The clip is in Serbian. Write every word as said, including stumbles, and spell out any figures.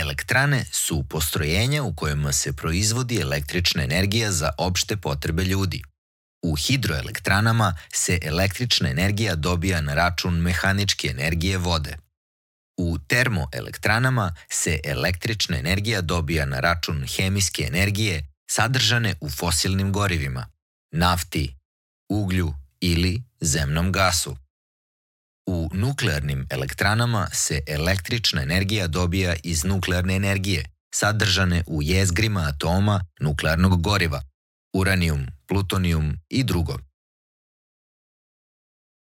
Elektrane su postrojenja u kojima se proizvodi električna energija za opšte potrebe ljudi. U hidroelektranama se električna energija dobija na račun mehaničke energije vode. U termoelektranama se električna energija dobija na račun hemijske energije sadržane u fosilnim gorivima, nafti, uglju ili zemnom gasu. U nuklearnim elektranama se električna energija dobija iz nuklearne energije, sadržane u jezgrima atoma nuklearnog goriva, uranijum, plutonijum i drugo.